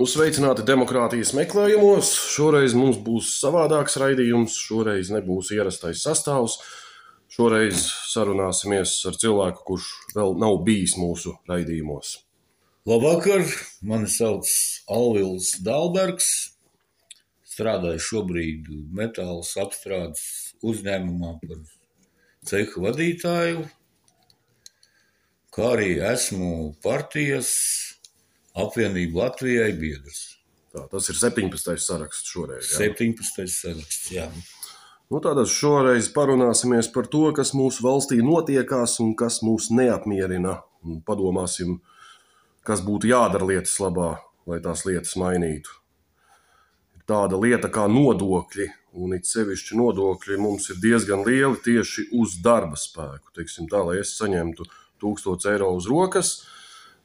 Sveicināti demokrātijas meklējumos. Šoreiz mums būs savādāks raidījums, šoreiz nebūs ierastais sastāvs. Šoreiz sarunāsimies ar cilvēku, kurš vēl nav bijis mūsu raidījumos. Labvakar, mani sauc Alvils Dalbergs. Strādāju šobrīd metālus apstrādes uzņēmumā par ceha vadītāju, kā arī esmu partijas apvienība Latvijai biedrs. Tā, tas ir 17. saraksts šoreiz. Jā? 17. saraksts, jā. Tātad šoreiz parunāsimies par to, kas mūsu valstī notiekās un kas mūs neapmierina. Un padomāsim, kas būtu jādara lietas labā, lai tās lietas mainītu. Ir tāda lieta kā nodokļi, un it sevišķi nodokļi mums ir diezgan lieli tieši uz darba spēku. Teiksim tā, lai es saņemtu 1000 eiro uz rokas,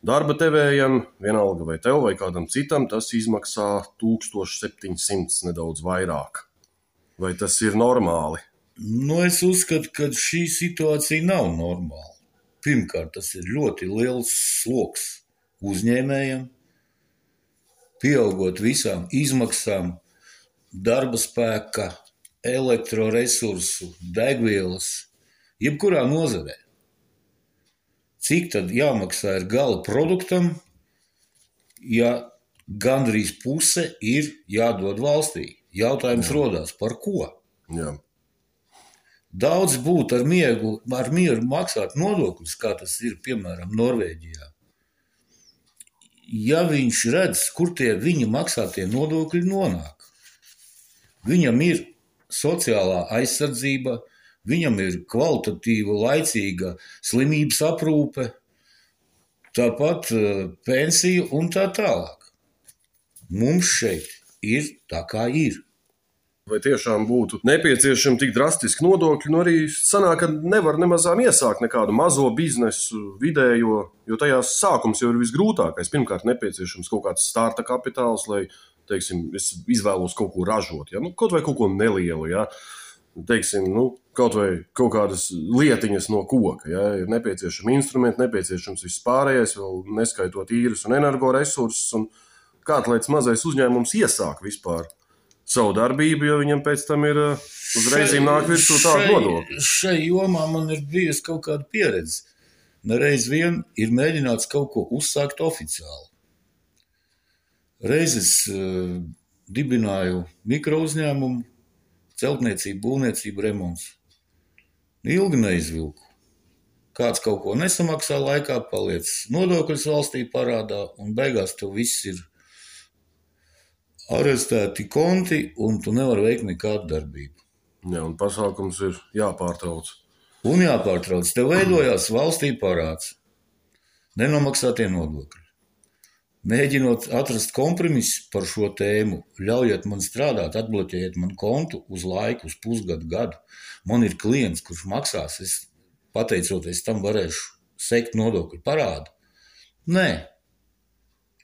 darba devējam, vienalga vai tev vai kādam citam, tas izmaksā 1700 nedaudz vairāk. Vai tas ir normāli? Es uzskatu, ka šī situācija nav normāla. Pirmkārt, tas ir ļoti liels sloks uzņēmējiem, pieaugot visām izmaksām, darba spēka, elektroresursu, degvielas, jebkurā nozarē. Cik tad jāmaksā ir gala produktam, ja gandrīz puse ir jādod valstī? Jautājums rodās, par ko? Jā. Daudz būtu ar mieru maksāt nodokļus, kā tas ir, piemēram, Norvēģijā. Ja viņš redz, kur tie viņa maksātie nodokļi nonāk. Viņam ir sociālā aizsardzība, viņam ir kvalitatīva, laicīga slimības aprūpe, tāpat pensija un tā tālāk. Mums šeit ir tā, kā ir. Vai tiešām būtu nepieciešami tik drastiski nodokļi? Arī sanāk, ka nevar nemazām iesākt nekādu mazo biznesu, vidējo, jo tajās sākums jau ir visgrūtākais. Pirmkārt, nepieciešams kaut kāds starta kapitāls, lai, teiksim, es izvēlos kaut ko ražot, ja? Kaut vai kaut ko nelielu, ja? Teiksim, kaut vai kaut kādas lietiņas no koka, ja? Ir nepieciešami instrumenti, nepieciešams viss pārējais, vēl neskaitot īres un energoresursus, un kāds mazais uzņēmums iesāk vispār savu darbību, jo viņam pēc tam ir uzreizīm nāk virsū tādu nodokļu. Šai jomā man ir bijusi kaut kāda pieredze. Nereiz vien ir mēģināts kaut ko uzsākt oficiāli. Reiz es dibināju mikrouzņēmumu, celtniecību, būvniecību, remonts. Ilgi neizvilku. Kāds kaut ko nesamaksā laikā, paliec nodokļus valstī parādā, un beigās tev viss ir arestēti konti, un tu nevari veikt nekādu darbību. Jā, un pasākums ir jāpārtrauc. Un jāpārtrauc. Tev veidojās valstī parāds. Nenomaksātie nodokļi. Mēģinot atrast kompromisu par šo tēmu, ļaujiet man strādāt, atbloķējiet man kontu uz laiku, uz pusgadu, gadu. Man ir klients, kurš maksās, es pateicoties tam varēšu sekt nodokļu parādu. Nē.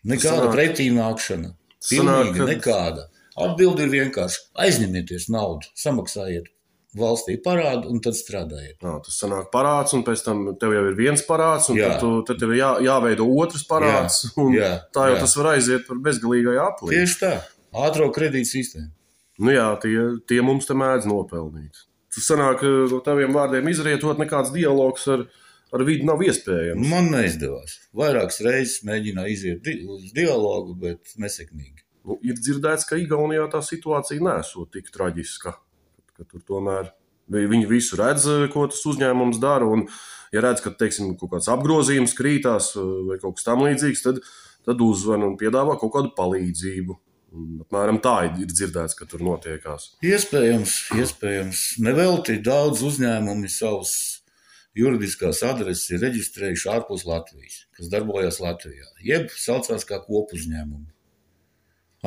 Nekāda pretīnākšana. Pilnīgi nekāda. Atbildi ir vienkārši aizņemieties naudu, samaksājiet valstī parādu un tad strādājiet. Tas sanāk parāds, un pēc tam tev jau ir viens parāds, un tad tev ir jāveido otrs parāds, tā jau tas var aiziet par bezgalīgai aplī. Tieši tā, ātro kredītu sistēmu. Tie mums te mēdz nopelnīt. Tas sanāk, no taviem vārdiem izrietot, nekāds dialogs ar vidi nav iespējams. Man neizdevās. Vairākas reizes mēģināju iziet uz dialogu, bet nesekmīgi. Ir dzirdēts, ka Igaunijā tā situācija nesot tik traģiska, ka tur tomēr viņi visu redz, ko tas uzņēmums dara, un ja redz, ka, teiksim, kaut kāds apgrozījums krītās vai kaut kas tam līdzīgs, tad uzvan un piedāvā kaut kādu palīdzību. Un apmēram tā ir dzirdēts, ka tur notiekās. Iespējams. Nevelti daudz uzņēmumi savus juridiskās adreses ir reģistrējuši ārpus Latvijas, kas darbojas Latvijā, jeb saucās kā kopuzņēmumi.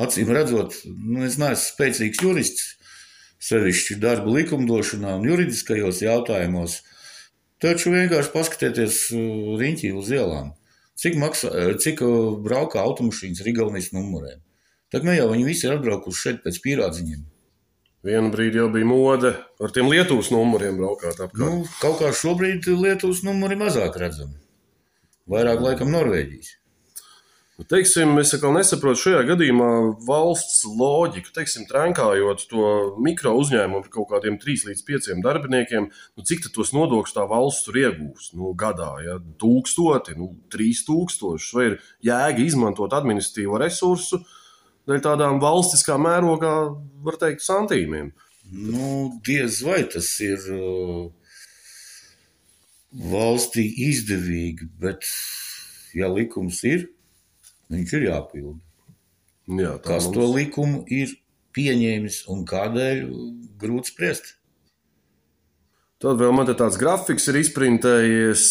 Acīm redzot, es neesmu spēcīgs jurists, sevišķi darba likumdošanā un juridiskajos jautājumos, taču vienkārši paskatieties riņķī uz ielām, cik braukā automašīnas ar Igaunijas numuriem. Tad jau viņi visi ir atbraukuši šeit pēc pierādziņiem. Vienu brīdi jau bija mode ar tiem Lietuvas numuriem braukāt apkārt. Kaut kā šobrīd Lietuvas numuri mazāk redzami. Vairāk laikam Norvēģijas. Teiksim, es atkal nesaprotu šajā gadījumā valsts loģiku. Teiksim, trenkājot to mikro uzņēmumu par kaut kādiem 3 līdz 5 darbiniekiem, cik tad tos nodokļus tā valsts tur iegūs? Gadā, ja 1000, 3000, vai ir jēga izmantot administratīvo resursu dēļ tādām valstiskā mērogā, var teikt, santīmiem? Diez vai tas ir valstī izdevīgi, bet ja likums ir, viņš ir jāpilda. Jā, kas to likumu ir pieņēmis un kādēļ, grūti spriest. Tad vēl man te tāds grafiks ir izprintējies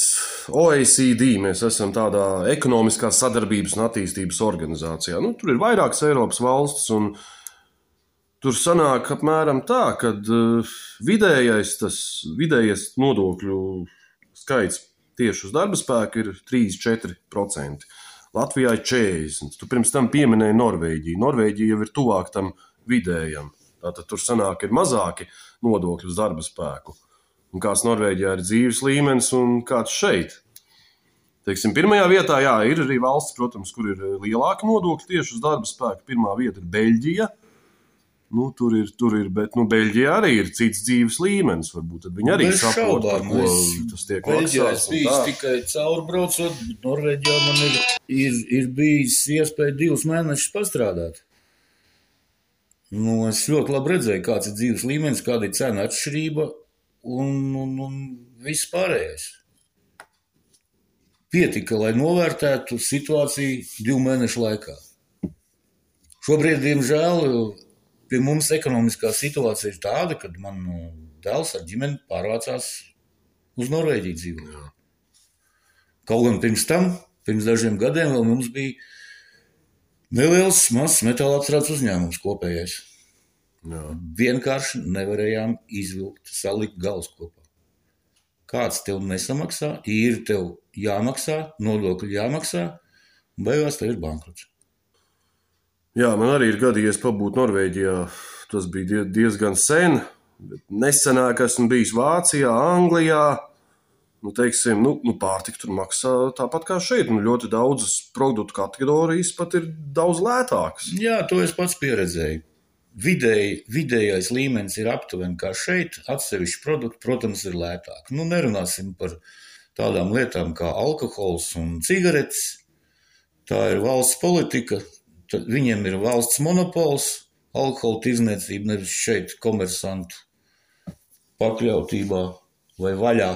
OECD. Mēs esam tādā ekonomiskās sadarbības un attīstības organizācijā. Tur ir vairākas Eiropas valstis, un tur sanāk apmēram tā, ka vidējais nodokļu skaits tieši uz darba spēku ir 3–4%. Latvijā ir 40%. Tu pirms tam pieminēji Norvēģiju. Norvēģija jau ir tuvāk tam vidējam. Tātad tur sanāk ir mazāki nodokļi uz darba spēku. Un kāds Norvēģijā ir dzīves līmenis un kāds šeit. Teiksim, pirmajā vietā, jā, ir arī valsts, protams, kur ir lielāki nodokļi tieši uz darba spēku. Pirmā vieta ir Beļģija. Tur ir, bet Beļģijā arī ir cits dzīves līmenis. Varbūt tad viņi arī saprot, par ko tas tiek maksāts. Beļģijā es biju tikai caurbraucot, bet Norvēģijā man ir bijis iespēja 2 mēnešus pastrādāt. Es ļoti labi redzēju, kāds ir dzīves līmenis, kāda ir cena atšķirība un viss pārējais. Pietika, lai novērtētu situāciju 2 mēnešu laikā. Šobrīd, diemžēl, pie mums ekonomiskā situācija ir tāda, kad man dēls ar ģimeni pārvācās uz Norvēģiju dzīvot. Kaut gan pirms dažiem gadiem vēl mums bija neliels mazs metāla apstrādes uzņēmums kopējais. Jā. Vienkārši nevarējām izvilkt, salikt galus kopā. Kāds tev nesamaksā, ir tev jāmaksā, nodokļi jāmaksā, un beigās tev ir bankrots. Jā, man arī ir gadījies pabūt Norvēģijā. Tas bija diezgan sen. Nesenāk esmu bijis Vācijā, Anglijā. Pārtika tur maksā tāpat kā šeit. Ļoti daudzas produktu kategorijas pat ir daudz lētākas. Jā, to es pats pieredzēju. Vidējais līmenis ir aptuveni kā šeit. Atsevišķi produkti, protams, ir lētāki. Nerunāsim par tādām lietām kā alkohols un cigaretes. Tā ir valsts politika. Viņiem ir valsts monopols, alkohola tirdzniecība, nevis šeit komersantu pakļautībā vai vaļā.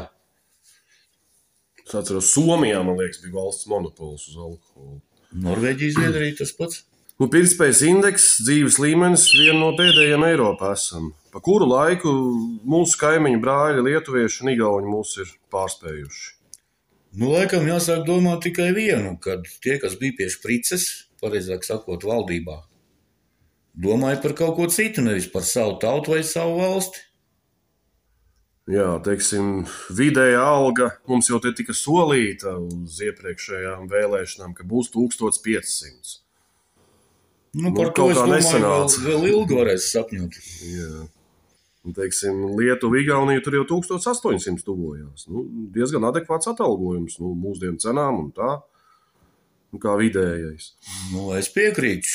Es atceros, Somijā, man liekas, bija valsts monopols uz alkoholu. Norvēģija, Zviedrija tas pats. Pirktspējas indeks, dzīves līmenis viena no pēdējiem Eiropā esam. Pa kuru laiku mūsu kaimiņu brāļi, lietuvieši un igauņi mūs ir pārspējuši? Laikam jāsāk domāt tikai vienu, kad tie, kas bija pie šprices, pareizāk sakot, valdībā, domāja par kaut ko citu, nevis par savu tautu vai savu valsti. Jā, teiksim, vidējā alga mums jau te tika solīta uz iepriekšējām vēlēšanām, ka būs 1500. Par to es domāju, vēl ilgi varēs sapņot. Jā. Teiksim, Lietuva, Igaunija tur jau 1800 tuvojās. Diezgan adekvāts atalgojums mūsdienu cenām un tā. Kā vidējais. Es piekrītu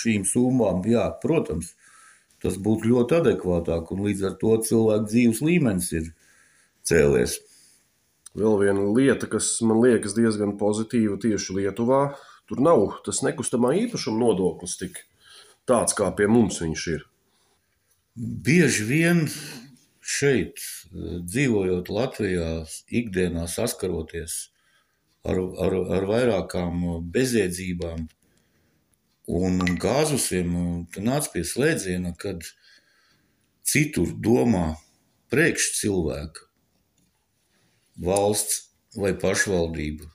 šīm summām. Jā, protams, tas būtu ļoti adekvātāk, un līdz ar to cilvēku dzīves līmenis ir cēlies. Vēl viena lieta, kas man liekas diezgan pozitīva tieši Lietuvā, tur nav tas nekustamā īpašuma nodoklis tik tāds, kā pie mums viņš ir. Bieži vien šeit, dzīvojot Latvijā, ikdienā saskaroties ar vairākām bezjēdzībām un gāzusiem, tu nāc pie slēdziena, kad citur domā priekš cilvēka, valsts vai pašvaldība,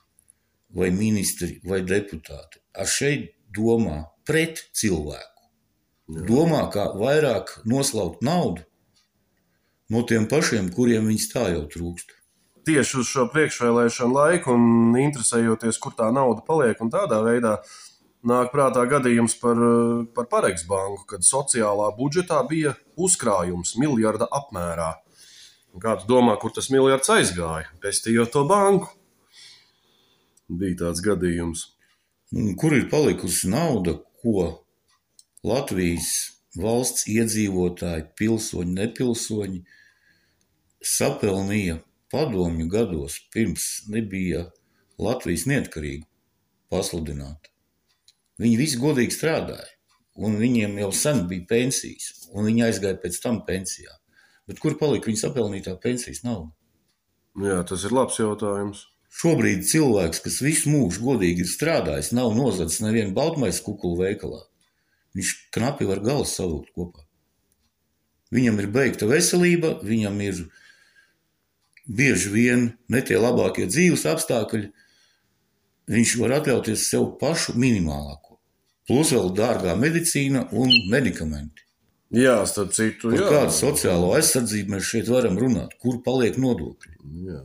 vai ministri, vai deputāti. Šeit domā pret cilvēku. Domā, kā vairāk noslaukt naudu no tiem pašiem, kuriem viņas tā jau trūkst. Tieši uz šo priekšvēlēšanu laiku un interesējoties, kur tā nauda paliek, un tādā veidā nāk prātā gadījums par Paregs banku, kad sociālā budžetā bija uzkrājums miljarda apmērā. Un kā tu domā, kur tas miljards aizgāja? Pestījot to banku. Bija tāds gadījums. Kur ir palikusi nauda, ko Latvijas valsts iedzīvotāji, pilsoņi, nepilsoņi sapelnīja padomju gados, pirms nebija Latvijas neatkarība pasludināta. Viņi visi godīgi strādāja, un viņiem jau sen bija pensijas, un viņi aizgāja pēc tam pensijā. Bet kur palika viņa sapelnītā pensijas nauda? Jā, tas ir labs jautājums. Šobrīd cilvēks, kas visu mūžu godīgi ir strādājis, nav nozadzis nevienu baltmaisu kukulu veikalā. Viņš knapi var galus savilkt kopā. Viņam ir beigta veselība, viņam ir bieži vien ne tie labākie dzīves apstākļi. Viņš var atļauties sev pašu minimālāko. Plus vēl dārgā medicīna un medikamenti. Jā, starp citu, Par kādu sociālo aizsardzību mēs šeit varam runāt? Kur paliek nodokļi? Jā.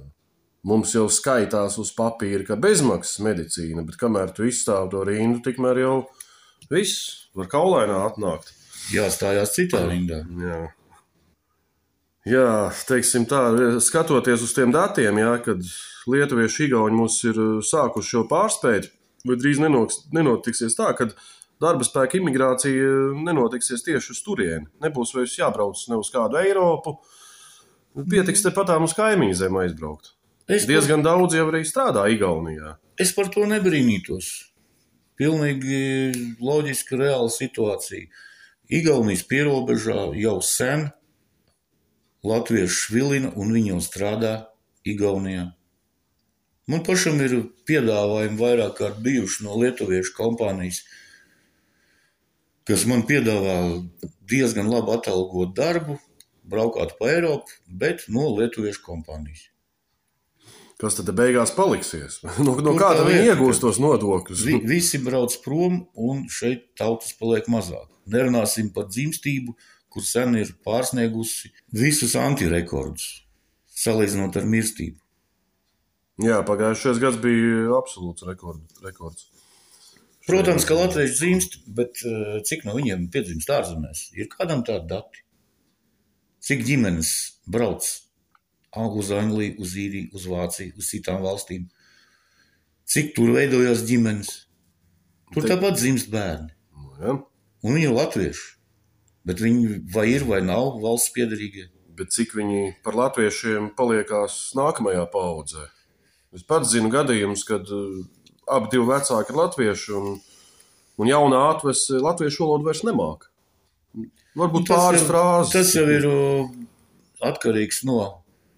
Mums jau skaitās uz papīra, ka bezmaksas medicīna, bet kamēr tu izstāv to rindu, tikmēr jau viss var kaulainā atnākt. Jāstājās citā rindā. Jā, teiksim tā, skatoties uz tiem datiem, jā, kad lietuvieši igauņi mūs ir sākuši jau pārspēt, vai drīz nenotiksies tā, kad darba spēka imigrācija nenotiksies tieši uz turieni. Nebūs vairs jābrauc ne uz kādu Eiropu, pietiks tepatām uz kaimiņu zemi aizbraukt. Diezgan daudz jau arī strādā Igaunijā. Es par to nebrīnītos. Pilnīgi loģiska, reāla situācija. Igaunijas pierobežā jau sen latvieši švilina un viņi jau strādā Igaunijā. Man pašam ir piedāvājumi vairāk kārt bijuši no lietuviešu kompānijas, kas man piedāvā diezgan labi atalgot darbu, braukāt pa Eiropu, bet no lietuviešu kompānijas. Kas tad beigās paliksies? No kāda viņi iegūst tos nodokļus? Visi brauc prom un šeit tautas paliek mazāk. Nerunāsim par dzimstību, kur sen ir pārsniegusi visus antirekordus, salīdzinot ar mirstību. Jā, pagājušais gads bija absolūts rekords. Protams, ka latvieši dzimst, bet cik no viņiem piedzimst ārzemēs? Ir kādam tādi dati? Cik ģimenes brauc uz Angliju, uz Īriju, uz Vāciju, uz citām valstīm? Cik tur veidojās ģimenes? Tur tāpat dzimst bērni. Ja. Un viņi ir latvieši. Bet viņi vai ir vai nav valsts piederīgie. Bet cik viņi par latviešiem paliekās nākamajā paaudzē? Es pats zinu gadījumus, kad abi divi vecāki ir latvieši un jaunā atvese latviešu valodu vairs nemāk. Varbūt pāris frāzes. Tas jau ir atkarīgs no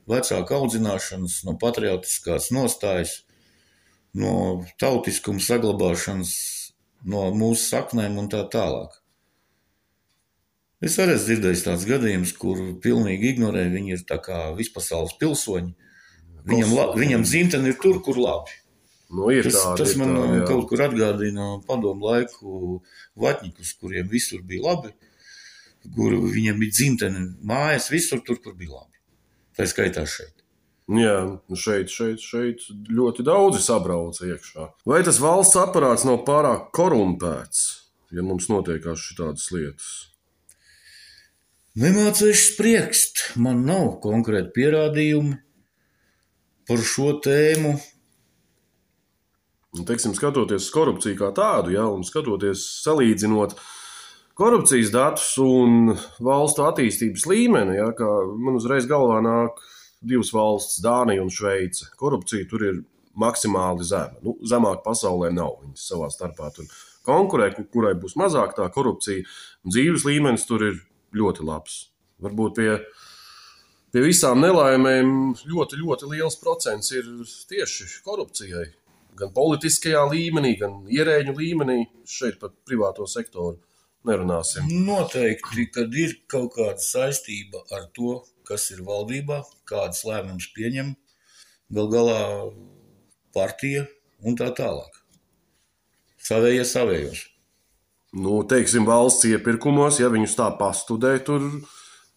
vecāka audzināšanas, no patriotiskās nostājas, no tautiskuma saglabāšanas, no mūsu saknēm un tā tālāk. Es arī esmu dzirdējis tāds gadījums, kur pilnīgi ignorē, viņi ir tā kā vispasaules pilsoņi. Viņam dzimtene ir tur, kur labi. Nu, tas man kaut kur atgādina padomu laiku vatņikus, kuriem visur bija labi, kur viņiem bija dzimtene mājas, visur tur, kur bija labi. Tā skaitās šeit. Jā, šeit ļoti daudzi sabrauca iekšā. Vai tas valsts aparāts nav pārāk korumpēts, ja mums notiekās šitādas lietas? Nemācīšu spriekst. Man nav konkrēti pierādījumi par šo tēmu. Teiksim, skatoties korupciju kā tādu, ja, un skatoties salīdzinot korupcijas datus un valstu attīstības līmeni, ja, kā man uzreiz galvā nāk divas valsts, Dānija un Šveice. Korupcija tur ir maksimāli zema. Zemāk pasaulē nav. Viņas savā starpā tur konkurē, kurai būs mazāk tā korupcija. Dzīves līmenis tur ir ļoti labs. Varbūt pie visām nelaimēm ļoti, ļoti liels procents ir tieši korupcijai. Gan politiskajā līmenī, gan ierēģu līmenī, šeit pat privāto sektoru. Nerunāsim. Noteikti, kad ir kaut kāda saistība ar to, kas ir valdībā, kādas lēmumus pieņem, gal galā partija un tā tālāk. Savējie savējos. Teiksim, valsts iepirkumos, ja viņus tā pastudē, tur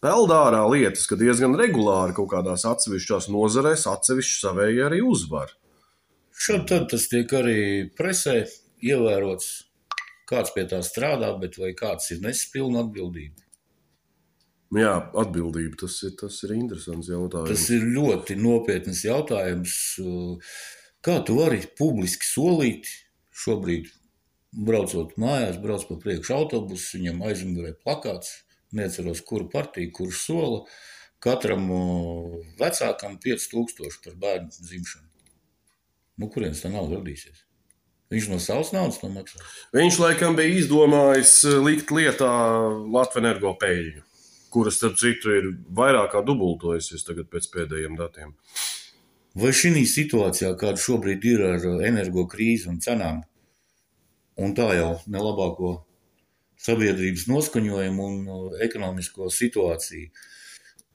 peld ārā lietas, ka diezgan regulāri kaut kādās atsevišķās nozarēs atsevišķi savējie arī uzvar. Šad tad tas tiek arī presē ievērots. Kāds pie tā strādā, bet vai kāds ir nesis pilnu atbildību? Jā, atbildība, tas ir interesants jautājums. Tas ir ļoti nopietnas jautājums. Kā tu vari publiski solīt šobrīd, braucot mājās, brauc pa priekšu autobusu, viņam aizmugurē plakāts, neatceros, kuru partiju, kurš sola, katram vecākam 5000 par bērnu dzimšanu. Nu, kurienes tā nauda radīsies? Viņš no savas naudas to maksā. Viņš laikam bija izdomājis likt lietā Latvenergo peļņu, kuras, starp citu, ir vairāk kā dubultojusies tagad pēc pēdējiem datiem. Vai šī situācijā, kāda šobrīd ir ar energo krīzi un cenām, un tā jau nelabāko sabiedrības noskaņojumu un ekonomisko situāciju,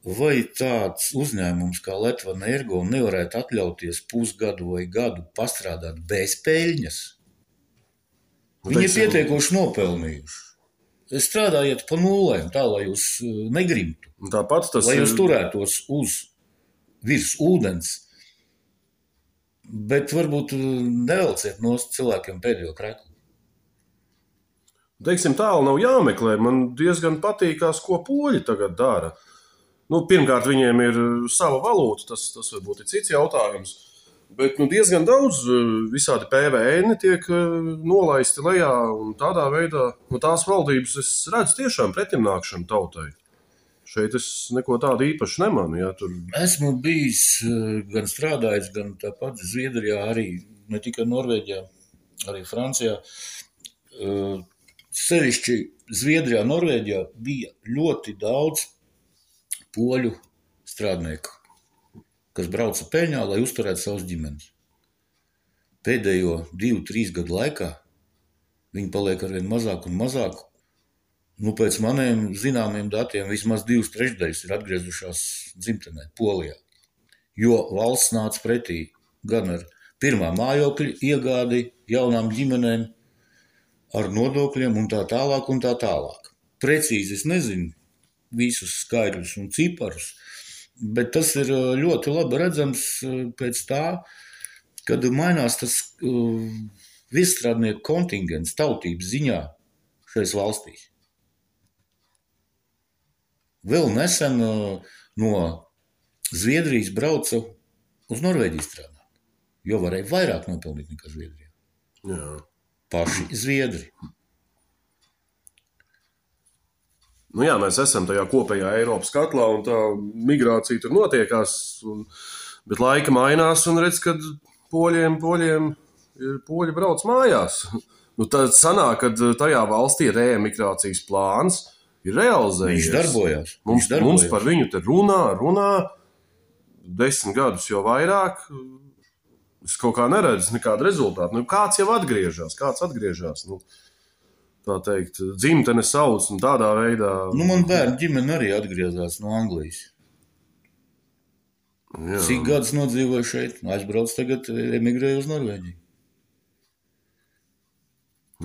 vai tāds uzņēmums kā Latvenergo nevarētu atļauties pusgadu vai gadu pastrādāt bez peļņas? Viņi ir pietiekoši nopelnījuši. Strādājiet pa nulēm, tā, lai jūs negrimtu. Tāpat tas lai jūs turētos virs ūdens, bet varbūt nevelciet no cilvēkiem pēdējo kreklu. Teiksim, tālu nav jāmeklē. Man diezgan patīkās, ko poļi tagad dara. Nu, pirmkārt, viņiem ir sava valūta, tas varbūt ir cits jautājums, bet diezgan daudz visādi PVN tiek nolaisti lejā, un tādā veidā tās valdības es redzu tiešām pretimnākšanu tautai. Šeit es neko tādu īpaši nemanu. Ja, tur... Esmu bijis gan strādājis, gan tāpat Zviedrijā, arī ne tikai Norvēģijā, arī Francijā. Sevišķi Zviedrijā, Norvēģijā bija ļoti daudz poļu strādnieku, kas brauca peļņā, lai uzturētu savus ģimenes. Pēdējo 2-3 gadu laikā viņi paliek arvien mazāk un mazāk. Pēc maniem zināmiem datiem vismaz 2/3 ir atgriezušās dzimtenē, Polijā. Jo valsts nāca pretī gan ar pirmā mājokļa iegādi jaunām ģimenēm, ar nodokļiem un tā tālāk un tā tālāk. Precīzi es nezinu visus skaidrus un ciparus, bet tas ir ļoti labi redzams pēc tā, kad mainās tas viesstrādnieku kontingents tautības ziņā šais valstīs. Vēl nesen no Zviedrijas brauca uz Norvēģiju strādāt, jo varēja vairāk nopelnīt nekā Zviedrijā. Jā. Paši Zviedri. Jā, mēs esam tajā kopējā Eiropas katlā, un tā migrācija tur notiekās, bet laika mainās, un redz, kad poļi brauc mājās. Tad sanāk, kad tajā valstī reemigrācijas plāns ir realizējies. Viņš darbojās. Mums par viņu te runā 10 gadus jau vairāk. Es kaut kā neredzu nekādu rezultātu. Kāds jau atgriežas, tā teikt, dzimtene sauc un tādā veidā. Man bērnu ģimene arī atgriezās no Anglijas. Jā. Cik gadus nodzīvoju šeit, aizbrauc tagad, emigrēju uz Norvēģiju.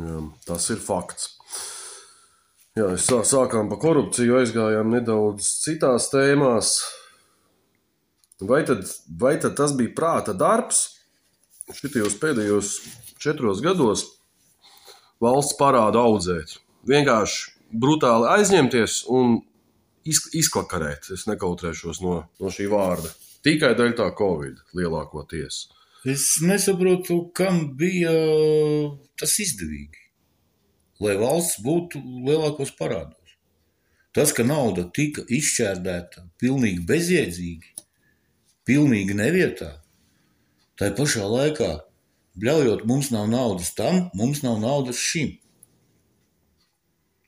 Jā, tas ir fakts. Jā, sākām pa korupciju, aizgājām nedaudz citās tēmās. Vai tad tas bija prāta darbs? Šitajos pēdējos 4 gados valsts parādu audzēt. Vienkārši brutāli aizņemties un izklakarēt. Es nekautrēšos no šī vārda. Tikai dēļ tā Covid lielākoties. Es nesaprotu, kam bija tas izdevīgi, lai valsts būtu lielākos parādos. Tas, ka nauda tika izšķērdēta pilnīgi bezjēdzīgi, pilnīgi nevietā, tai pašā laikā bļaujot, mums nav naudas tam, mums nav naudas šim.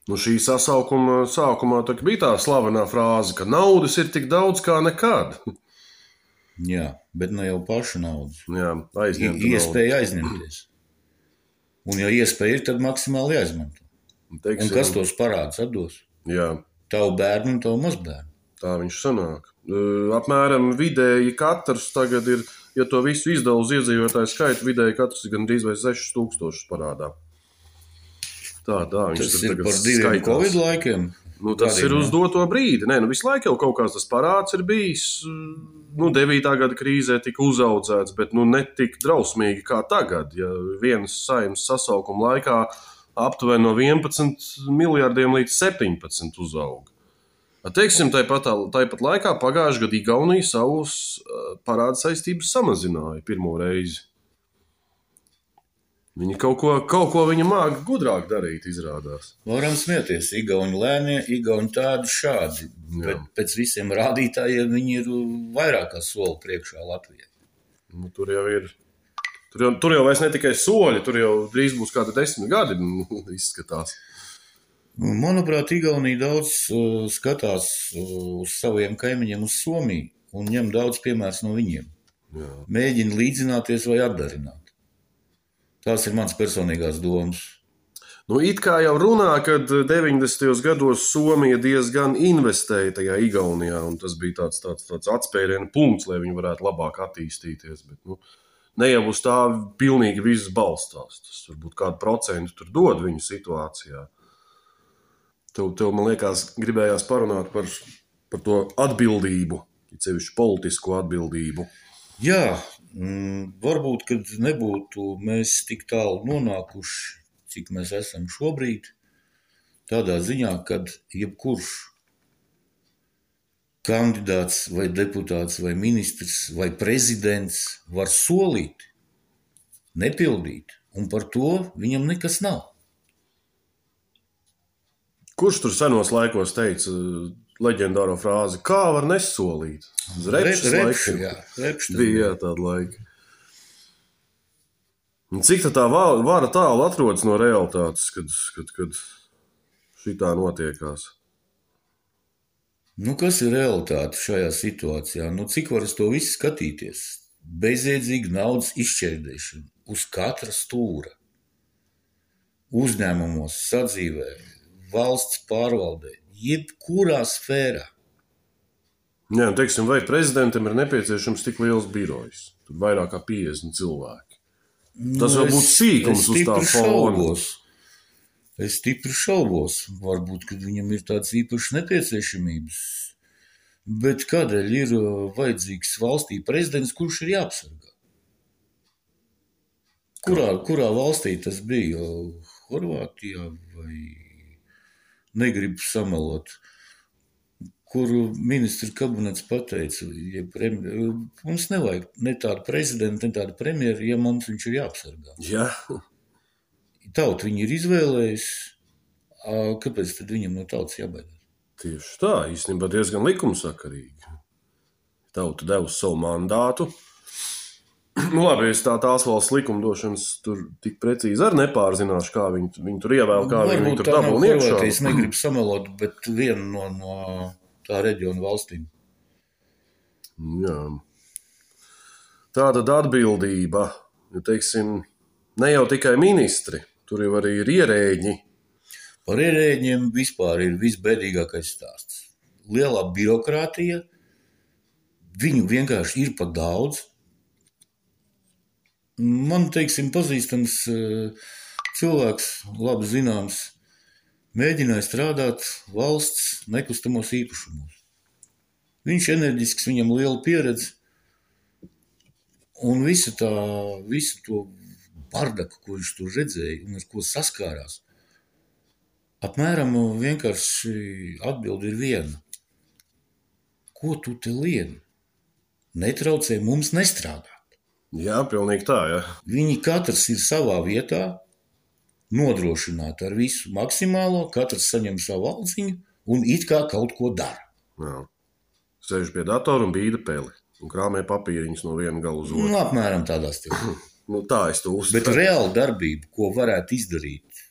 Šī sasaukuma sākumā bija tā slavenā frāze, ka naudas ir tik daudz kā nekad. Jā, bet ne jau paša naudas. Jā, iespēja aizņemties. Un ja iespēja ir, tad maksimāli jāizmanto. Un kas tos parādus atdos? Jā. Tavu bērnu un tavu mazbērnu. Tā viņš sanāk. Apmēram vidēji katrs tagad ir, ja to visu izdala uz iedzīvotāju skaitu, vidēji katrs ir gandrīz vai 6000 parādā. Tā, viņš tas ir par 2 Covid laikiem? Tas ir uz doto brīdi. Visu laiku jau kaut kāds tas parāds ir bijis. 9. gada krīzē tika uzaudzēts, bet ne tik drausmīgi kā tagad. Ja vienas saeimas sasaukuma laikā aptuveni no 11 miljardiem līdz 17 uzauga. Teiksim, tāpat laikā pagājušajā gadā Igaunija savus parādu saistības samazināja pirmo reizi. Viņi kaut ko viņa māca gudrāk darīt, izrādās. Varam smieties, Igauni lēnie, Igauni tādi šādi, bet pēc visiem rādītājiem viņi ir vairāk kā soli priekšā Latvijai. Nu, tur jau vairs ne tikai soļi, tur jau drīz būs kādi 10 gadi, izskatās. Manuprāt, Igaunija daudz skatās uz saviem kaimiņiem uz Somiju un ņem daudz piemērs no viņiem. Jā. Mēģina līdzināties vai atdarināt. Tās ir mans personīgās domas. Nu, it kā jau runā, kad 90. gados Somija diezgan investēja tajā Igaunijā, un tas bija tāds atspēriena punkts, lai viņi varētu labāk attīstīties. Bet, ne jau uz tā pilnīgi viss balstās. Tas varbūt kādu procentu tur dod viņu situācijā. Tev man liekas, gribējās parunāt par to atbildību, sevišķi politisko atbildību. Jā, varbūt, kad nebūtu mēs tik tālu nonākuši, cik mēs esam šobrīd, tādā ziņā, kad jebkurš kandidāts vai deputāts vai ministrs vai prezidents var solīt, nepildīt, un par to viņam nekas nav. Kurš tur senos laikos teica leģendāro frāzi, kā var nesolīt? Repša bija tāda laika. Un cik tā vara tālu atrodas no realitātes, kad šitā notiekās? Kas ir realitāte šajā situācijā? Cik var uz to visu skatīties? Bezjēdzīga naudas izšķērdēšana uz katra stūra. Uzņēmumos, sadzīvē, valsts pārvaldē, jebkurā sfērā. Jā, teiksim, vai prezidentam ir nepieciešams tik liels birojs? Tur vairāk kā 50 cilvēki. Tas jau būtu sīkums uz tā fona. Es stipri šaubos. Varbūt, kad viņam ir tāds īpašs nepieciešamības. Bet kādēļ ir vajadzīgs valstī prezidents, kurš ir jāapsargā? Kurā valstī tas bija? Horvātijā vai negribu samalot? Kur ministra kabinets pateica, mums nevajag ne tādu prezidentu, ne tādu premjeru, ja mums viņš ir jāapsargā. Jā. Tauta viņu ir izvēlējusi, kāpēc tad viņam no tautas jābaidās? Tieši tā, īstenībā diezgan likumsakarīgi. Tauta devusi savu mandātu. Labi, es tās valsts likumdošanas tur tik precīzi arī nepārzināšu, kā viņi tur ievēl, kā viņi tur dabūna iekšā. Es negribu samalot, bet viena no tā reģiona valstīm. Jā. Tātad atbildība, teiksim, ne jau tikai ministri, tur jau arī ir ierēģi. Par ierēģiem vispār ir visbēdīgākais stāsts. Lielā birokrātija, viņu vienkārši ir par daudz. Man, teiksim, pazīstams cilvēks, labi zināms, mēģināja strādāt valsts nekustamos īpašumos. Viņš enerģisks, viņam liela pieredze, un visu to bardaku, ko viņš tur redzēja un ar ko saskārās, apmēram vienkārši atbildi ir viena. Ko tu te lieni? Netraucē mums nestrādāt. Jā, pilnīgi tā, jā. Viņi katrs ir savā vietā, nodrošināt ar visu maksimālo, katrs saņem savu aldziņu un it kā kaut ko dara. Jā. Sēž pie datora un bīda peli un krāmē papīriņus no viena gala uz otru. Apmēram tādā stilā. Tā es to uzskatu. Bet reāla darbība, ko varētu izdarīt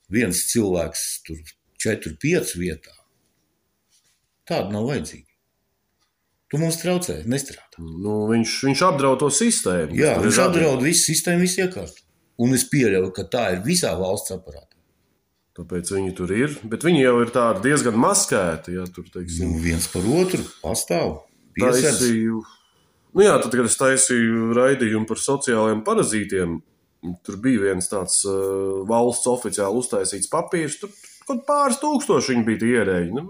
viens cilvēks tur 4-5 vietā, tāda nav vajadzīga. Tu mums traucē, nestrādā. Viņš apdraud to sistēmu. Jā, viņš apdraud visu sistēmu, visu iekārtu. Un es pieļauju, ka tā ir visā valsts aparātā. Tāpēc viņi tur ir, bet viņi jau ir tādi diezgan maskēti. Ja, tur, teiksim, viens par otru pastāv. Taisīju, tad, kad es taisīju raidījumu par sociālajiem parazītiem, tur bija viens tāds valsts oficiāli uztaisīts papīrs, tur kaut pāris tūkstoši viņi bija tie ierēģi.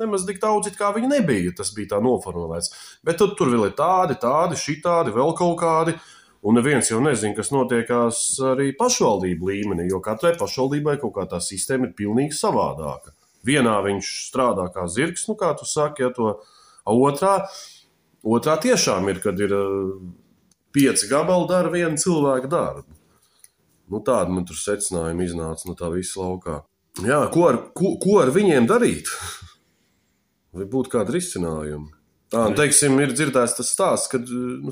Nemaz tik daudz, kā viņi nebija, tas bija tā noformulēts. Bet tur vēl ir tādi, šitādi, vēl kaut kādi. Un neviens jau nezina, kas notiekās arī pašvaldību līmenī, jo katrai pašvaldībai kaut kā tā sistēma ir pilnīgi savādāka. Vienā viņš strādā kā zirgs, kā tu saki, ja to otrā tiešām ir, kad ir 5 gabali dara viena cilvēka darbu. Nu, tāda man tur secinājuma iznāca no tā visa laukā. Jā, ko ar viņiem darīt? Vai būtu kādi risinājumi? Teiksim, ir dzirdēts tas stāsts, ka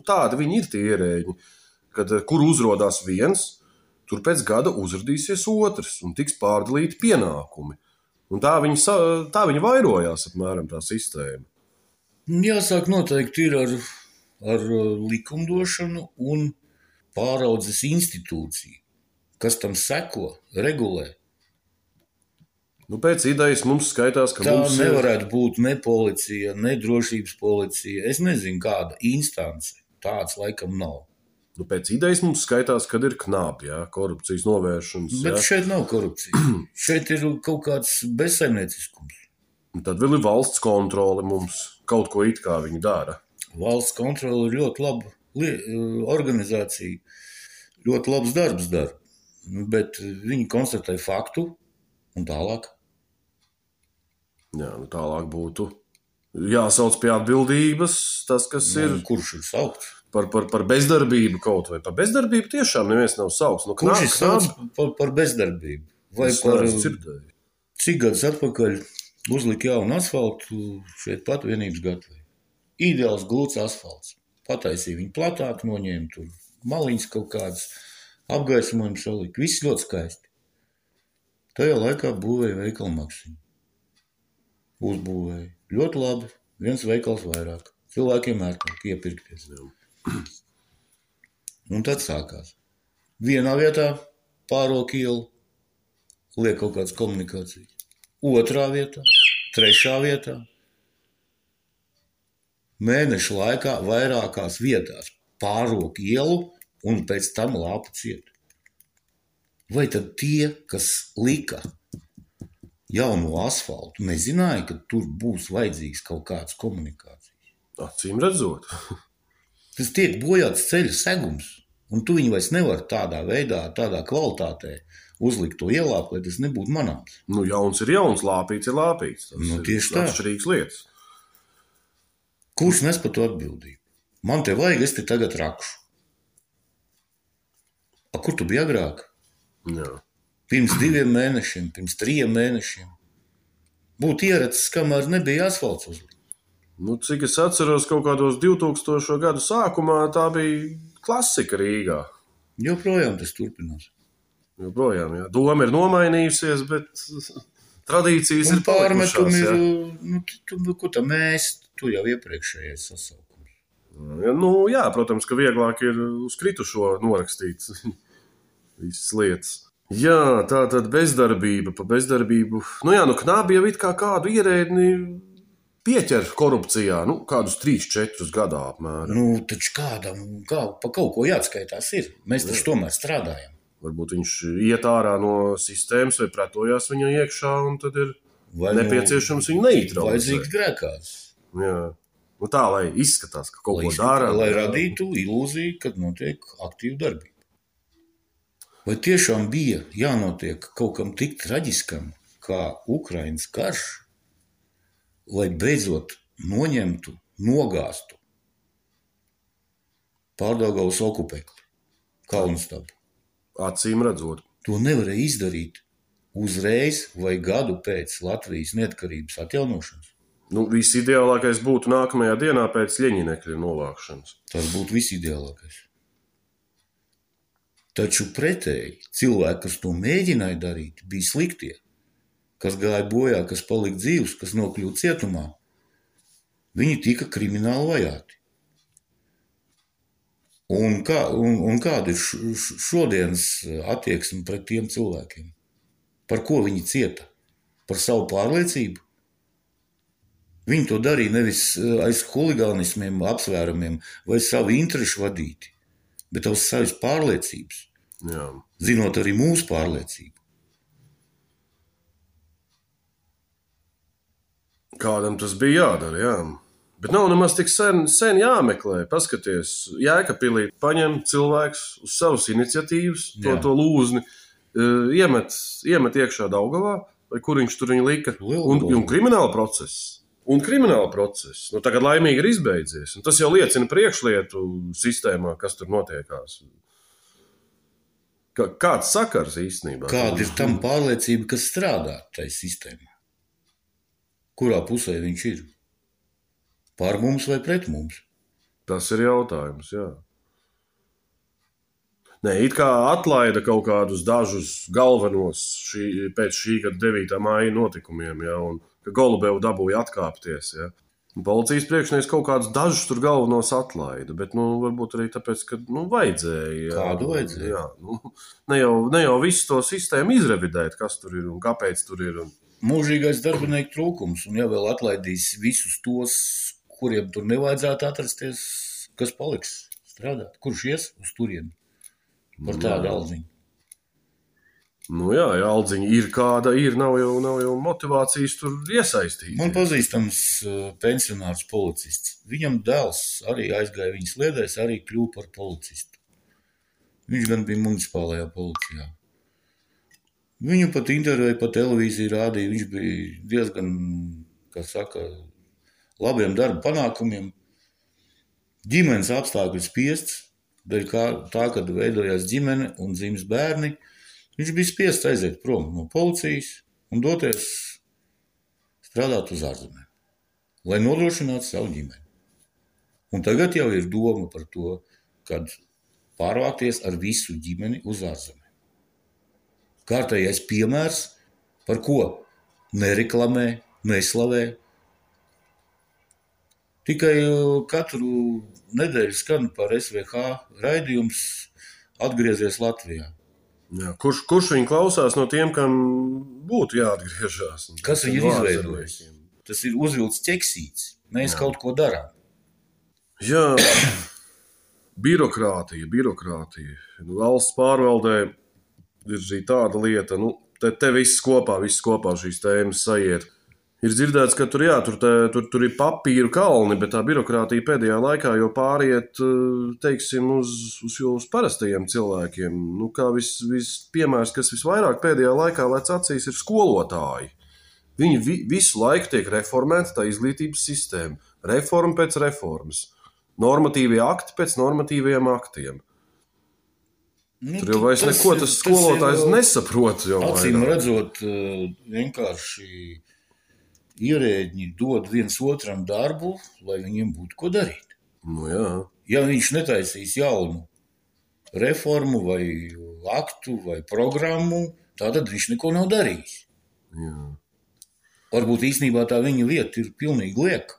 tādi viņi ir tie ierēģi, kad kur uzrodās viens, tur pēc gada uzradīsies otrs un tiks pārdalīti pienākumi. Un tā viņi vairojās apmēram tā sistēma. Jāsāk noteikti ir ar likumdošanu un pāraudzes institūciju, kas tam seko, regulē. Pēc idejas mums skaitās, ka tā nevarētu būt ne policija, ne drošības policija. Es nezinu, kāda instance. Tāds laikam nav. Pēc idejas mums skaitās, kad ir knābi, korupcijas novēršanas. Bet šeit nav korupcija. Šeit ir kaut kāds bezsaimnieciskums. Tad vēl ir valsts kontrole mums. Kaut ko it kā viņi dara. Valsts kontrole ir ļoti laba organizācija. Ļoti labs darbs dara. Bet viņi konstatē faktu un tālāk. Jā, tālāk būtu jāsauc pie atbildības tas, kas ir. Kurš ir saukts? Par bezdarbību kaut vai. Par bezdarbību tiešām neviens nav saukts. Kurš ir saukts par bezdarbību? Vai par cik gadus atpakaļ uzlika jaunu asfaltu šeit pat Vienības gatavē? Ideāls glūts asfalts. Pataisīja viņu platāk, noņēma tur maliņas kaut kādas, apgaismojumu salika. Viss ļoti skaisti. Tajā laikā būvēja veikalu Maksimu. Uzbūvēja. Ļoti labi. Viens veikals vairāk. Cilvēkiem ērtāk iepirkties. Un tad sākās. Vienā vietā pārok ielu, liek kaut kādas komunikācijas. Otrā vietā, trešā vietā. Mēnešu laikā vairākās vietās pārok ielu un pēc tam lāpa ciet. Vai tad tie, kas lika jauno asfaltu, nezināja, ka tur būs vajadzīgs kaut kāds komunikācijas? Acīm redzot. Tas tiek bojāts ceļa segums, un tu viņu vairs nevar tādā veidā, tādā kvalitātē uzlikt to ielāpu, lai tas nebūtu manāms. Jauns ir jauns, lāpīts ir lāpīts. Tas tieši tā. Atšķirīgas lietas. Kurš nes par to atbildību? Man te vajag, es te tagad rakšu. Kur tu biji agrāk? Jā. Pirms 2 mēnešiem, pirms 3 mēnešiem. Būtu ieracis, kamēr nebija asfalts uzlikt. Cik es atceros, kaut kādos 2000. Gadu sākumā tā bija klasika Rīgā. Joprojām tas turpinās. Joprojām, jā. Doma ir nomainījusies, bet tradīcijas ir palikušās. Un pārmetumi ir, ko tā mēs, tu jau iepriekšējais sasaukums. Jā, protams, ka vieglāk ir uz kritušo norakstīt visas lietas. Jā, tā tad bezdarbība, pa bezdarbību. Knābi jau it kā kādu ierēdni pieķer korupcijā, kādus 3-4 gadā apmēram. Taču kādam, pa kaut ko jāatskaitās ir. Mēs taču tomēr strādājam. Varbūt viņš iet ārā no sistēmas vai pretojās viņai iekšā, un tad ir nepieciešams viņu neitralizēt. Vajadzīgs grēkās. Jā. Tā, lai izskatās, ka kaut ko dara. Lai radītu ilūziju, kad notiek aktīva darbība. Vai tiešām bija jānotiek kaut kam tik traģiskam, kā Ukrainas karš, lai beidzot noņemtu, nogāztu Pārdaugavas okupekli, Kalnstabu? Acīm redzot. To nevarēja izdarīt uzreiz vai gadu pēc Latvijas neatkarības atjaunošanas. Visideālākais būtu nākamajā dienā pēc Ļeņinekļa novākšanas. Tas būtu visideālākais. Taču pretēji cilvēki, kas to mēģināja darīt, bija sliktie. Kas gāja bojā, kas palika dzīvs, kas nokļuva cietumā. Viņi tika krimināli vajāti. Un kāda ir šodienas attieksme pret tiem cilvēkiem? Par ko viņi cieta? Par savu pārliecību? Viņi to darīja nevis aiz huligānismiem, apsvērumiem vai savu interešu vadīti, bet uz savas pārliecības. Jā. Zinot arī mūsu pārliecību. Kādam tas bija jādara, jā. Bet nav nemaz tik sen jāmeklē. Paskaties, Jēkabpilī paņem cilvēks uz savas iniciatīvas, to lūzni, iemet iekšā Daugavā, vai kur viņš tur viņu lika, un krimināla process. Tagad laimīgi ir izbeidzies. Un tas jau liecina priekšlietu sistēmā, kas tur notiekās. Kāds sakars īstenībā? Kāda ir tam pārliecība, kas strādā tajā sistēmā? Kurā pusē viņš ir? Pār mums vai pret mums? Tas ir jautājums, jā. Nē, it kā atlaida kaut kādus dažus galvenos pēc šī gada 9. māja notikumiem, ja, un ka Golubevu dabūja atkāpties. Ja. Policijas priekšnieks kaut kādus dažus tur galvenos atlaida, bet varbūt arī tāpēc, ka vajadzēja. Ja. Kādu vajadzēja? Jā, ne jau visu to sistēmu izrevidēt, kas tur ir un kāpēc tur ir. Mūžīgais darbinieku trūkums, un ja vēl atlaidīs visus tos, kuriem tur nevajadzētu atrasties, kas paliks strādāt? Kurš ies uz turieni par tādu aldziņu? Jā, aldziņa ir kāda, nav jau motivācijas tur iesaistīt. Man pazīstams pensionārs policists. Viņam dēls arī aizgāja viņa sliedēs, arī kļuva par policistu. Viņš gan bija municipālajā policijā. Viņu pat intervēja, pa televīziju rādīja. Viņš bija diezgan, kā saka, labiem darba panākumiem. Ģimenes apstākļi spiests, dēļ tā, kad veidojās ģimene un dzims bērni, viņš bija spiests aiziet prom no policijas un doties strādāt uz ārzemēm, lai nodrošinātu savu ģimeni. Un tagad jau ir doma par to, kad pārvākties ar visu ģimeni uz ārzemēm. Kārtējais piemērs, par ko nereklamē, neslavē. Tikai katru nedēļu skan par SVH raidījums atgriezies Latvijā. Jā, kurš viņu klausās no tiem, kam būtu jāatgriežas? Kas viņu ir izveidojis? Tas ir uzvilts ķeksīts. Mēs kaut ko darām. Jā, birokrātija. Valsts pārvaldē ir šī tāda lieta, te viss kopā šīs tēmas sajiet. Ir dzirdēts, ka tur ir papīru kalni, bet tā birokrātija pēdējā laikā jau pāriet, teiksim, uz parastajiem cilvēkiem. Kā piemērs, kas visvairāk pēdējā laikā lec acīs, ir skolotāji. Viņi visu laiku tiek reformēta tā izglītības sistēma. Reforma pēc reformas. Normatīvie akti pēc normatīviem aktiem. Tur jau vairs neko tas skolotājs nesaprot. Acīm redzot, vienkārši ierēģi dod viens otram darbu, lai viņiem būtu ko darīt. Jā. Ja viņš netaisīs jaunu reformu vai aktu vai programmu, tad viņš neko nav darījis. Jā. Varbūt īstenībā tā viņa vieta ir pilnīgi lieka.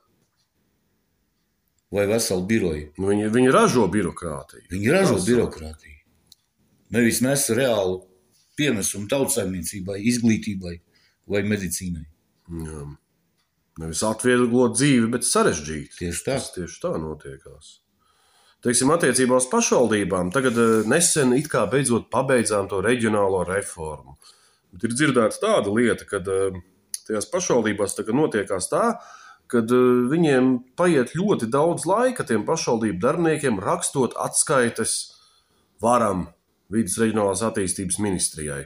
Vai vesela biroja. Viņi ražo birokrātiju. Viņi ražo birokrātiju. Nevis nes reālu pienesumu tautsaimniecībai, izglītībai vai medicīnai. Jā. Nevis atvieglot dzīvi, bet sarežģīt. Tieši tā. Tieši tā notiekās. Teiksim, attiecībā uz pašvaldībām, tagad nesen it kā beidzot pabeidzām to reģionālo reformu. Bet ir dzirdēta tāda lieta, ka tajās pašvaldībās tagad notiekās tā, kad viņiem paiet ļoti daudz laika tiem pašvaldību darbiniekiem rakstot atskaites varam vides reģionālās attīstības ministrijai.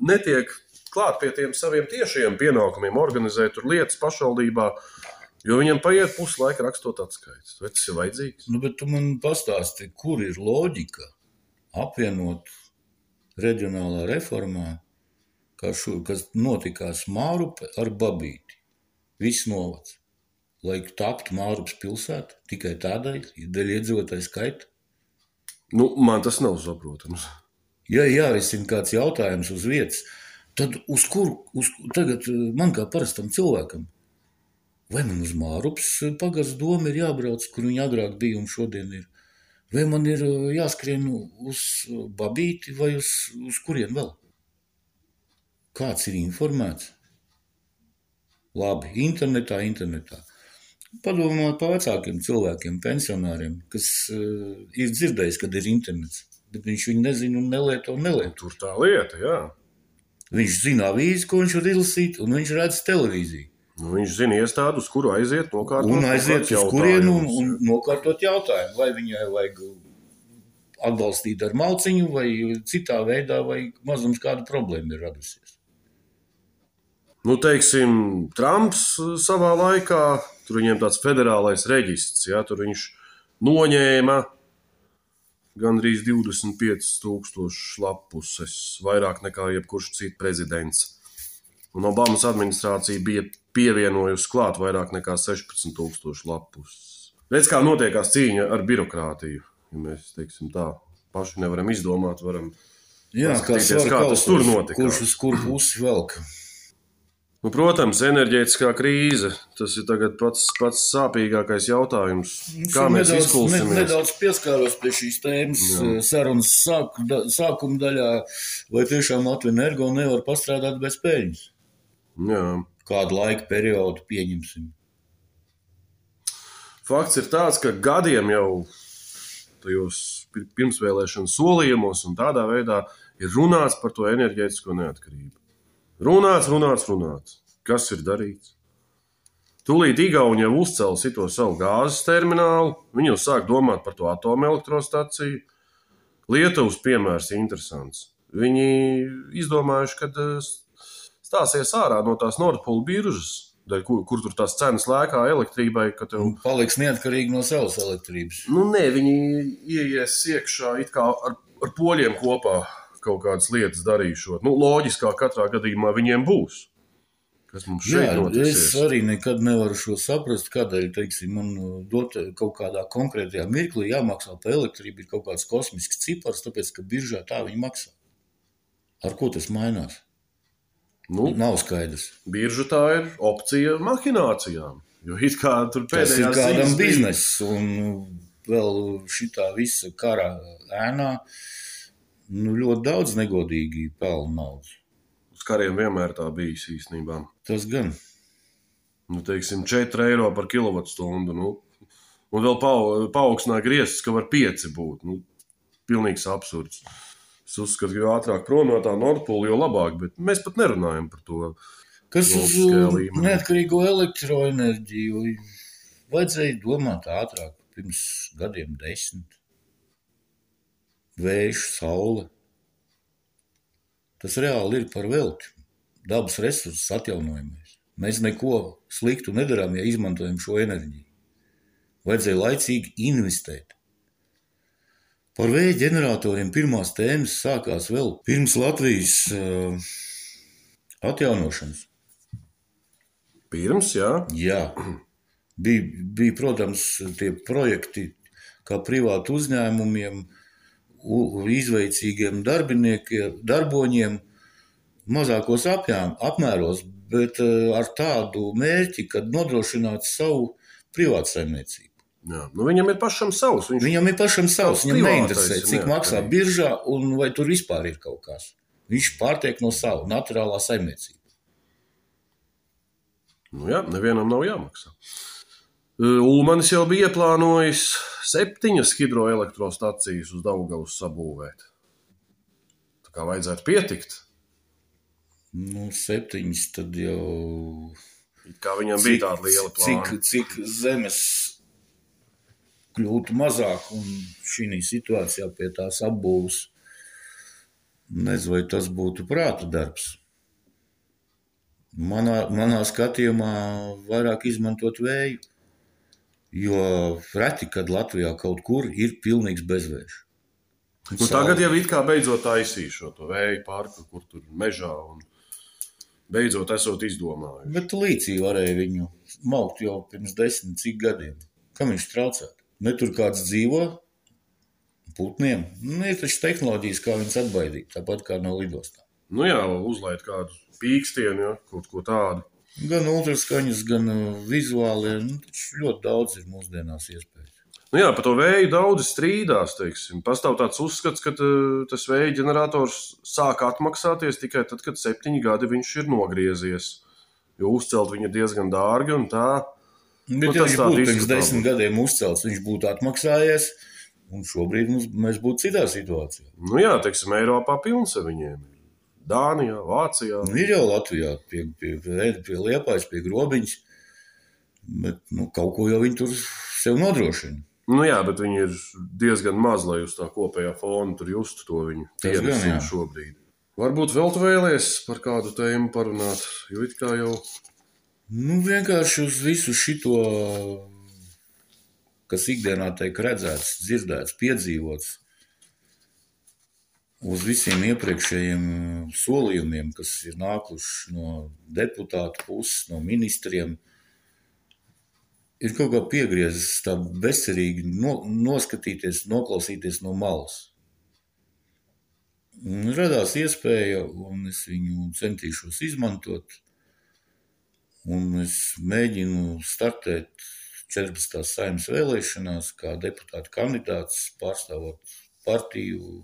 Netiek klāt pie tiem saviem tiešajiem pienākumiem organizēt tur lietas pašvaldībā, jo viņam paiet puslaika rakstot atskaites. Vai tas ir vajadzīgs? Bet tu man pastāsti, kur ir loģika apvienot reģionālā reformā, kas notikās Mārupe ar Babīti. Viss novads. Lai taptu Mārupas pilsēta, tikai tādēļ, dēļ iedzīvotāju skaita. Man tas nav saprotams. Ja jārisina kāds jautājums uz vietas, tad tagad man kā parastam cilvēkam, vai man uz Mārupas pagasts doma ir jābrauc, kur viņa agrāk bija un šodien ir, vai man ir jāskrien uz Babīti vai uz kurien vēl? Kāds ir informēts? Labi, internetā. Padomāt par vecākiem cilvēkiem, pensionāriem, kas ir dzirdējis, kad ir internets, bet viņš viņu nezina un nelieto. Tur tā lieta, jā. Viņš zina avīzi, ko viņš var izlasīt, un viņš redz televīziju. Viņš zina iestādi, uz kuru aiziet, nokārtot un aiziet uz kurienu un nokārtot jautājumu, vai viņai vajag atbalstīt ar malciņu, vai citā veidā, vai mazums kāda problēma ir radusies. Teiksim, Trumps savā laikā, tur viņiem tāds federālais reģists, ja, tur viņš noņēma gandrīz 25,000 lapuses, vairāk nekā jebkurš cits prezidents. Un Obamas administrācija bija pievienojusi klāt vairāk nekā 16,000 lapuses. Redz, kā notiekās cīņa ar birokrātiju. Ja mēs, teiksim tā, paši nevaram izdomāt, varam paskatīties, kā tas tur notika. Kurš uz kur pusi velk? Nu, protams, enerģētiskā krīze, tas ir tagad pats sāpīgākais jautājums. Kā mēs izkulsimies? Nedaudz pieskāros pie šīs tēmas sarunas sākuma daļā, vai tiešām Latvija Energo nevar pastrādāt bez peļņas? Jā. Kādu laika periodu pieņemsim? Fakts ir tāds, ka gadiem jau tajos pirmsvēlēšanu solījumos un tādā veidā ir runāts par to enerģētisko neatkarību. Runāts. Kas ir darīts? Tūlīt Igauni jau uzcēla to savu gāzes terminālu, viņi jau sāk domāt par to atomelektrostaciju. Lietuvas piemērs ir interesants. Viņi izdomājuši, ka stāsies ārā no tās Nord Pool biržas, kur tur tās cenas lēkā elektrībai. Paliks neatkarīgi no savas elektrības. Nu, nē, viņi ieies iekšā it kā ar poļiem kopā. Kaut kādas lietas darīšot. Nu, loģiskā katrā gadījumā viņiem būs. Kas mums šeit notiksies? Es arī nekad nevaru šo saprast, kādēļ, teiksim, man dot kaut kādā konkrētajā mirklī jāmaksā par elektrību ir kaut kāds kosmisks cipars, tāpēc, ka biržā tā viņi maksā. Ar ko tas mainās? Nu, nav skaidrs. Birža tā ir opcija mahinācijām. Jo it kā tur pēdējās ziņas... Tas ir kādam bizness, un vēl šitā visa kara ēnā ļoti daudz negodīgi pelna naudas. Uz kariem vienmēr tā bijis īstenībā. Tas gan. Nu, teiksim, 4 eiro par kilovatstundu. Nu, un vēl paaugstināja griestus, ka var 5 būt. Nu, pilnīgs absurds. Es uzskatu, ka jo ātrāk prom no tā Nord Pool, jo labāk, bet mēs pat nerunājam par to. Kas uz neatkarīgo elektroenerģiju vajadzēja domāt ātrāk, pirms gadiem 10. Vējš, saule. Tas reāli ir par velti. Dabas resursus atjaunojamies. Mēs neko sliktu nedarām, ja izmantojam šo enerģiju. Vajadzēja laicīgi investēt. Par vēja ģeneratoriem pirmās tēmas sākās vēl pirms Latvijas atjaunošanas. Pirms, jā? Jā. Bija, protams, tie projekti kā privātu uzņēmumiem, izveicīgiem darboņiem mazākos apmēros, bet ar tādu mērķi, kad nodrošināt savu privātsaimniecību. Jā, nu viņam ir pašam savs. Viņam neinteresē, cik maksā biržā un vai tur vispār ir kaut kas. Viņš pārtiek no savu naturālā saimniecība. Nu jā, nevienam nav jāmaksā. Ulmanis jau bija ieplānojis 7 hidroelektrostacijas uz Daugavas sabūvēt. Tā kā vajadzētu pietikt. Nu, 7 tad jau... Kā viņam bija tāda liela plāna. Cik zemes kļūtu mazāk un šī situācijā pie tās apbūves, nezinu, vai tas būtu prāta darbs. Manā skatījumā vairāk izmantot vēju. Jo reti, kad Latvijā kaut kur ir pilnīgs bezvējš. Nu, tagad jau it kā beidzot taisīšo to vēju parku, kur tur mežā un beidzot esot izdomājuši. Bet līdzī varēja viņu maukt jau pirms 10 cik gadiem. Kam viņš traucētu? Ne tur kāds dzīvo putniem. Nu, ir taču tehnoloģijas, kā viņas atbaidīt, tāpat kā no lidostām. Nu jā, uzlaid kādu pīkstienu, ja, kaut ko tādu. Gan ultraskaņas, gan vizuāli, ļoti daudz ir mūsdienās iespējas. Nu jā, par to vēju daudzi strīdās, teiksim. Pastāv tāds uzskats, ka tas vēja ģenerators sāk atmaksāties tikai tad, kad 7 gadi viņš ir nogriezies. Jo uzcelt viņu diezgan dārgi un tā. Bet ja viņš būtu pirms 10 gadiem uzcelts, viņš būtu atmaksājies, un šobrīd mēs būtu citā situācijā. Nu jā, teiksim, Eiropā pilns ar viņiem. Dānijā, Vācijā. Nu, ir jau Latvijā, pie Liepājas, pie Grobiņas, bet kaut ko jau viņi tur sev nodrošina. Nu jā, bet viņi ir diezgan maz, lai uz tā kopējā fona tur justu to viņu pienesumu šobrīd. Varbūt vēl tu vēlies par kādu tēmu parunāt, jo it kā jau... Nu, vienkārši uz visu šito, kas ikdienā tiek redzēts, dzirdēts, piedzīvots, uz visiem iepriekšējiem solījumiem, kas ir nākuši no deputātu puses, no ministriem, ir kaut kā piegriezis tā bezcerīgi noskatīties, noklausīties no malas. Un radās iespēja, un es viņu centīšos izmantot, un es mēģinu startēt 14. Saeimas vēlēšanās kā deputāta kandidāts pārstāvot partiju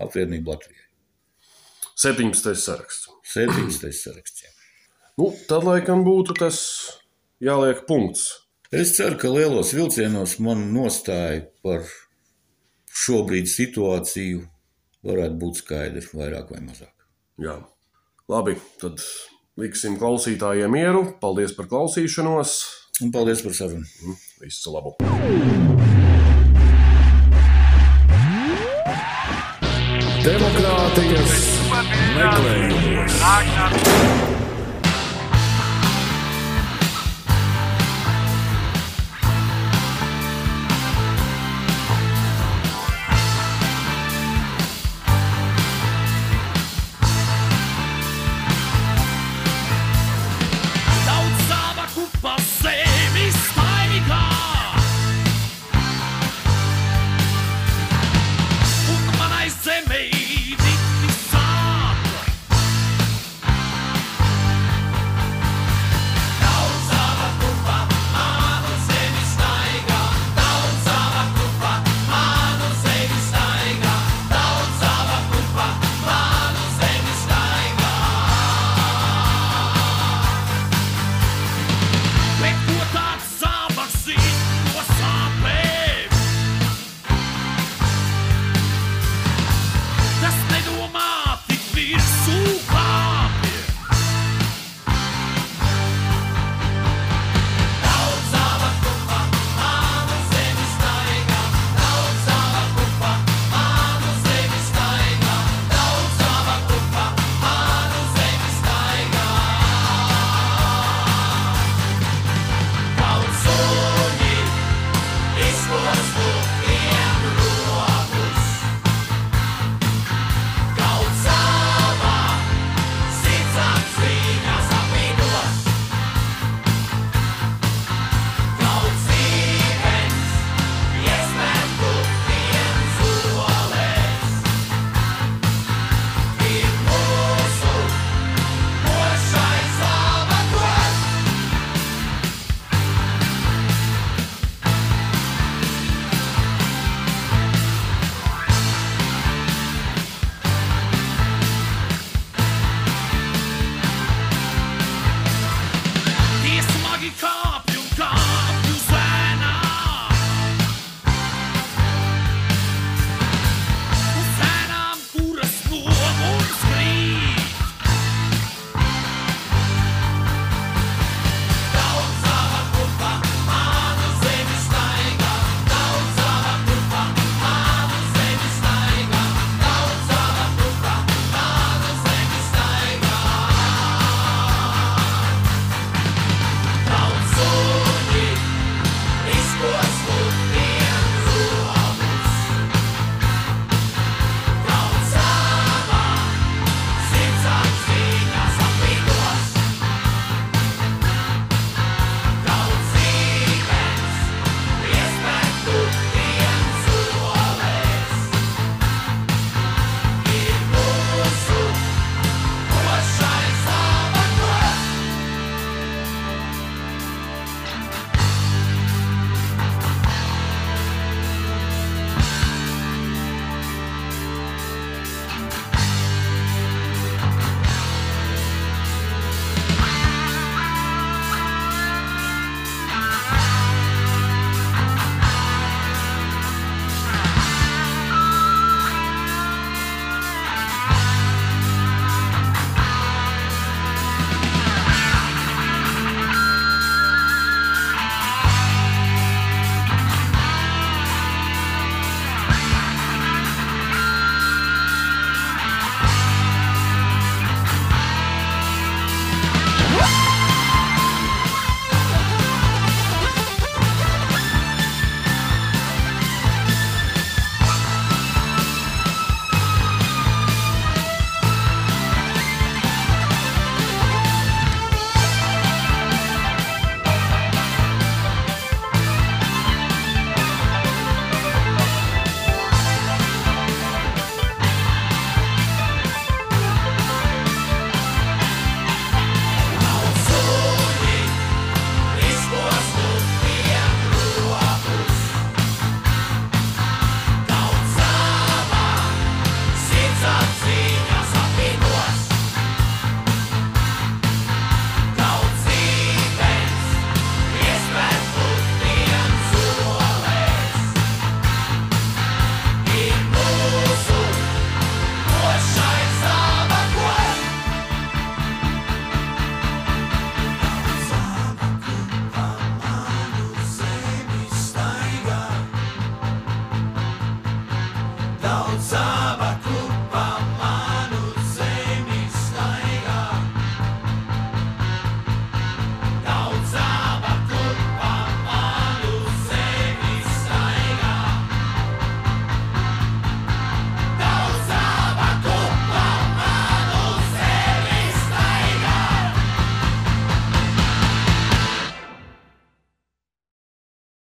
Apvienību Latvijai. 17. saraksts. 17. saraksts, jā. Nu, tad laikam būtu tas jāliek punkts. Es ceru, ka lielos vilcienos man nostāja par šobrīd situāciju varētu būt skaidri, vairāk vai mazāk. Jā, labi, tad liksim klausītājiem mieru. Paldies par klausīšanos. Un paldies par sarunu. Visu labu. Demokrātijas meklējumos.